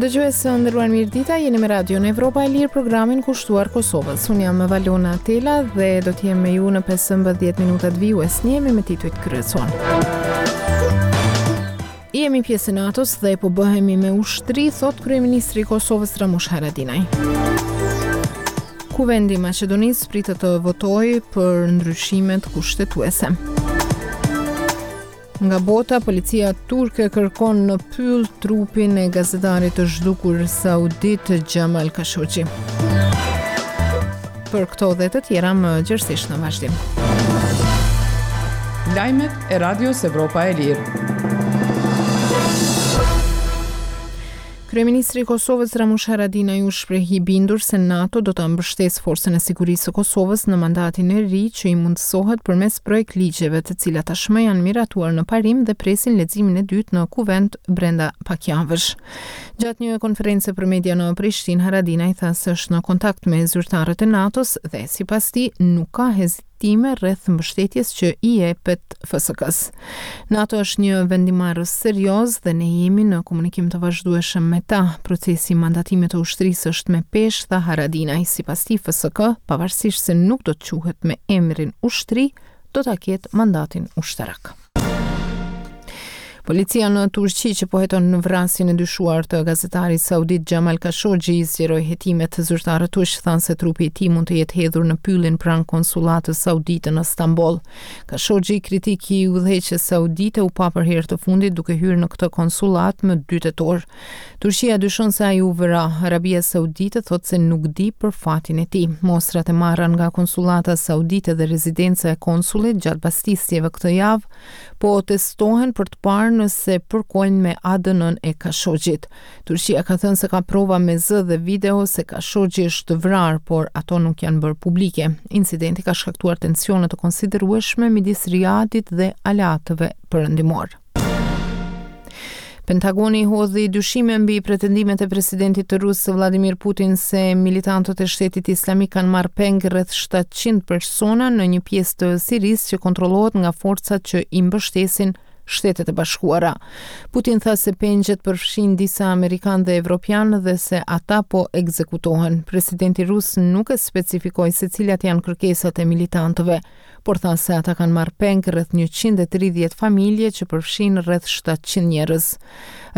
Dëgjues të nderuar mirëdita, jeni me Radion Evropa e Lirë programin kushtuar Kosovës. Unë jam Valona Tela dhe do të jem me ju në 15 minutat vijues. Njihemi me titujt kryesorë. Jemi pjesë e NATO-s dhe po bëhemi me ushtri, thotë kryeministri i Kosovës Ramush Haradinaj. Kuvendi i Maqedonisë pritet të votojë për ndryshimet kushtetuese. Nga bota, policia turke kërkon në pyll trupin e gazetarit të zhdukur saudit Jamal Khashoggi. Për këto dhe të tjera më gjerësisht në vazhdim. Lajmet e Radios Evropa e Lirë. Kryeministri i Kosovës Ramush Haradinaj u shpreh i bindur se NATO do ta mbështesë Forcën e Sigurisë së Kosovës në mandatin e ri që i mundësohet përmes projektligjeve të cilat tashmë janë miratuar në parim dhe presin leximin e dytë në Kuvend brenda pak javësh. Gjatë një konference për media në Prishtinë, Haradinaj tha se është në kontakt me zyrtarët e NATO-s dhe sipas tij nuk ka hezitime rreth mbështetjes që i jepet FSK-së. NATO është një vendimmarrës serioz dhe ne jemi në komunikim të vazhdueshëm me ta. Procesi i mandatimit të ushtrisë është me peshë, tha Haradinaj. Sipas tij, FSK, pavarësisht se nuk do të quhet me emrin ushtri, do ta ketë mandatin ushtarak. Policia në Turqi që po heton në vrasjen e dyshuar të gazetarit saudit Jamal Khashoggi zgjeroi hetimet. Zyrtarët turq thanë se trupi i tij mund të jetë hedhur në pyllin pranë konsullatës saudite në Stamboll. Khashoggi, kritik i udhëheqjes saudite, u pa për herë të fundit duke hyrë në këtë konsullatë më 2 tetor. Turqia dyshon se ai u vra. Arabia Saudite thotë se nuk di për fatin e tij. Mostrat e marra nga konsullata saudite dhe rezidenca e konsullit gjatë bastisjeve këtë javë po testohen për të parë nëse përkojnë me ADN-në e Khashoggit. Turqia ka thënë se ka prova me zë dhe video se Khashoggi është vrarë, por ato nuk janë bërë publike. Incidenti ka shkaktuar tensione të konsiderueshme midis Riadit dhe aleatëve perëndimorë. Pentagoni hodhi dyshime mbi pretendimet e presidentit rus Vladimir Putin se militantët e shtetit islamik kanë marrë peng rreth 700 persona në një pjesë të Sirisë që kontrollohet nga forcat që i mbështesin Shtetet e Bashkuara. Putin tha se pengjet përfshijnë disa amerikanë dhe evropianë dhe se ata po ekzekutohen. Presidenti rus nuk e specifikoi se cilat janë kërkesat e militantëve. por tha se ata kanë marrë peng rreth 130 familje që përfshijnë rreth 700 njerëz.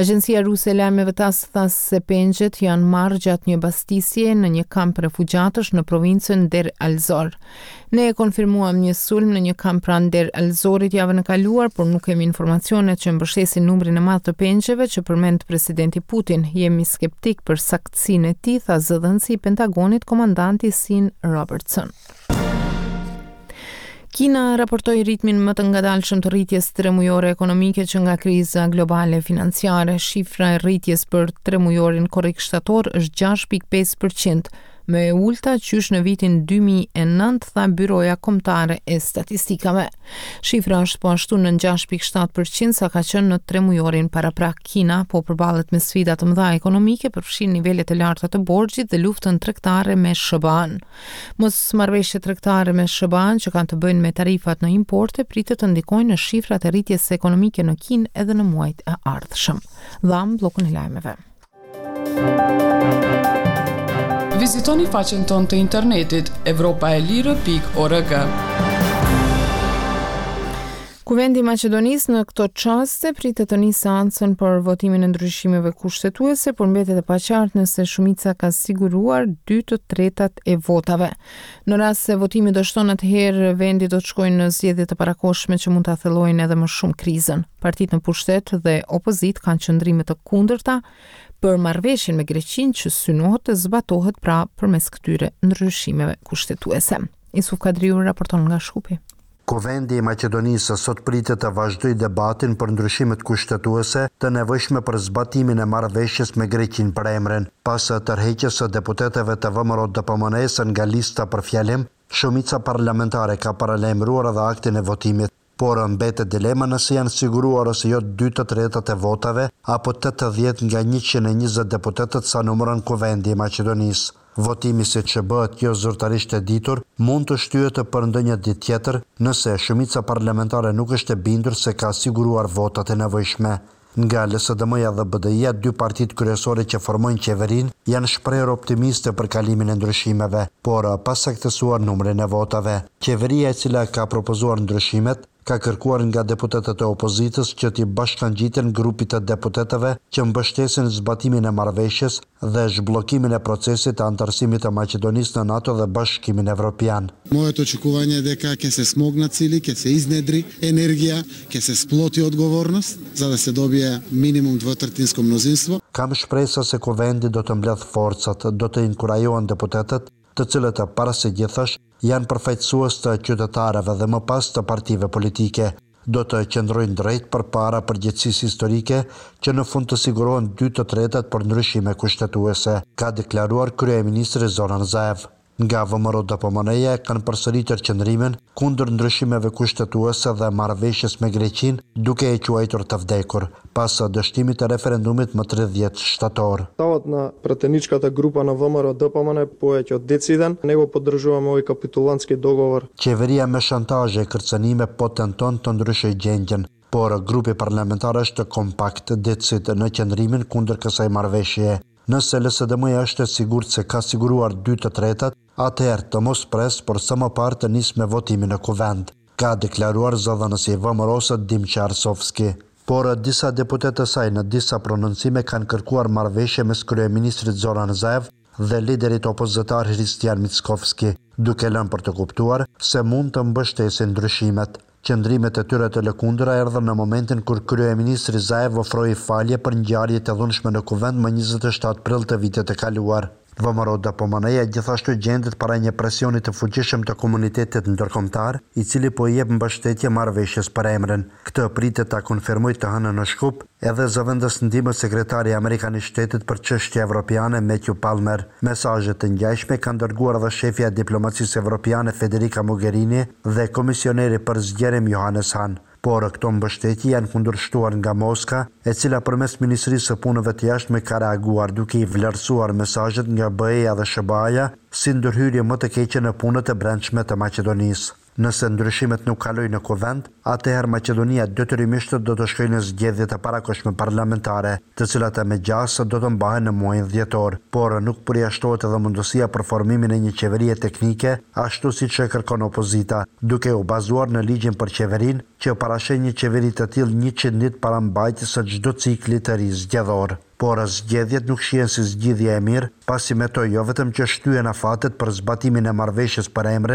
Agjencia ruse e lajmeve TASS tha se pengjet janë marrë gjatë një bastisje në një kamp refugjatësh në provincën Deir al-Zor. Ne e konfirmuam një sulm në një kamp pranë Deir al-Zorit javën e kaluar, por nuk kemi informacione që mbështesin numrin e madh të pengjeve që përmend presidenti Putin. Jemi skeptik për saktësinë e tij, tha zëdhënësi i Pentagonit, komandanti Sean Robertson. Kina raportoi ritmin më të ngadalshëm të rritjes tremujore ekonomike që nga kriza globale financiare. Shifra e rritjes për tremujorin korrik-shtator është 6.5%, më e ulëta qysh në vitin 2009, tha Byroja Kombëtare e Statistikave. Shifra është po ashtu nën 6.7% sa ka qenë në tremujorin paraprak. Kina po përballet me sfida të mëdha ekonomike, përfshirë nivelet e larta të borxhit dhe luftën tregtare me SHBA-në. Mosmarrëveshjet tregtare me SHBA-në që kanë të bëjnë me tarifat në importe pritet të ndikojnë në shifrat e rritjes ekonomike në Kinë edhe në muajt e ardhshëm. Dhamë bllokun e lajmeve. Vizitoni faqen tonë të internetit evropaelire.org. Kuvendi i Maqedonisë në këto çaste pritet të nisë seancën për votimin e ndryshimeve kushtetuese, por mbetet e paqartë nëse shumica ka siguruar 2/3 e votave. Në rast se votimi dështon atëherë vendi do të shkojë në zgjedhje të parakohshme që mund ta thellojnë edhe më shumë krizën. Partitë në pushtet dhe opozitë kanë qëndrime të kundërta për marrëveshjen me Greqinë që synohet të zbatohet pra përmes këtyre ndryshimeve kushtetuese. Isuf Kadriu raporton nga Shkupi. Kuvendi i Maqedonisë sot pritet të vazhdojë debatin për ndryshimet kushtetuese të nevojshme për zbatimin e marrëveshjes me Greqinë për emrin. Pas tërheqjes së deputetëve të VMRO-DPMNE-së nga lista për fjalim, shumica parlamentare ka paralajmëruar edhe aktin e votimit. Por mbetet dilema nëse janë siguruar ose jo dy të tretat e votave apo 80 nga 120 deputetët sa numëron Kuvendi i Maqedonisë. Votimi siç bëhet jo zyrtarisht e ditur, mund të shtyhet për ndonjë ditë tjetër, nëse shumica parlamentare nuk është e bindur se ka siguruar votat e nevojshme. Nga LSDM-ja dhe BDI-ja, dy partitë kryesore që formojnë qeverinë, janë shprehur optimiste për kalimin e ndryshimeve, por pa saktësuar numrin e votave. Qeveria e cila ka propozuar ndryshimet, ka kërkuar nga deputetët e opozitës që t'i bashkangjiten grupit të deputetëve që mbështesin zbatimin e marrëveshjes dhe zhbllokimin e procesit të anëtarësimit të Maqedonisë në NATO dhe Bashkimin Evropian. Моето очекување е дека ќе се смогнат сили, ќе се изнедри енергија, ќе се сплоти одговорност за да се добие минимум двотретинско мнозинство. Kam shpresa se Kuvendi do të mbledhë forcat, do të inkurajohen deputetët, të cilët para së gjithash janë përfaqësues të qytetarëve dhe më pas të partive politike. Do të qëndrojnë drejt përpara përgjegjësisë historike që në fund të sigurohen 2/3 për ndryshime kushtetuese, ka deklaruar kryeministri Zoran Zaev. Nga VMRO-DPMNE-ja e kanë përsëritur qëndrimin kundër ndryshimeve kushtetuese dhe marrëveshjes me Greqinë, duke e quajtur të vdekur, pas dështimit të referendumit më 30 shtator. Ставот на пратеничката група на ВМРО-ДПМН повеќе од дециден, не го поддржуваме овој капитулантски договор. Qeveria me shantazhe e kërcënime po tenton të ndryshojë gjendjen, por grupi parlamentar është kompakt decid në qëndrimin kundër kësaj marrëveshjeje. Nëse LSDM-ja është e sigurt se ka siguruar 2/3, atëherë të mos pres, por sa më parë të nisë me votimin në Kuvend, ka deklaruar zëdhënësi i VMRO-së Dimçe Arsovski. Por disa deputetë të saj në disa prononcime kanë kërkuar marrëveshje mes kryeministrit Zoran Zaev dhe liderit opozitar Hristijan Mickoski, duke lënë për të kuptuar se mund të mbështesin ndryshimet. Qëndrimet e tyre të lëkundura erdhën në momentin kur kryeministri Zaev ofroi falje për ngjarjet e dhunshme në Kuvend më 27 prill të vitit të kaluar. VMRO-DPMNE-ja gjithashtu gjendet para një presioni të fuqishëm të komunitetit ndërkombëtar, i cili po i jep mbështetje marrëveshjes për emrin. Këtë pritet ta konfirmojë të hënën në Shkup edhe zëvendës ndihmës sekretari amerikan i shtetit për çështje evropiane Matthew Palmer. Mesazhe të ngjashme kanë dërguar edhe shefja e diplomacisë evropiane Federica Mogherini dhe komisioneri për zgjerim Johannes Hahn. Por këto mbështetje janë kundërshtuar nga Moska, e cila përmes Ministrisë së Punëve të Jashtme ka reaguar duke i vlerësuar mesazhet nga BE-ja dhe SHBA-ja si ndërhyrje më të keqe në punët e brendshme të Maqedonisë. Nëse ndryshimet nuk kalojnë në Kuvend, atëherë Maqedonia detyrimisht do të shkojë në zgjedhjet e parakohshme parlamentare, të cilat me gjasë do të mbahen në muajin dhjetor, por nuk përjashtohet edhe mundësia për formimin e një qeverie teknike, ashtu siç e kërkon opozita, duke u bazuar në ligjin për qeverinë, që parasheh një qeveri të tillë 100 ditë para mbajtjes së çdo cikli të ri zgjedhor. Por zgjedhjet nuk shihen si zgjidhje e mirë, pasi me to jo vetëm që shtyen afatet për zbatimin e marrëveshjes për emrin,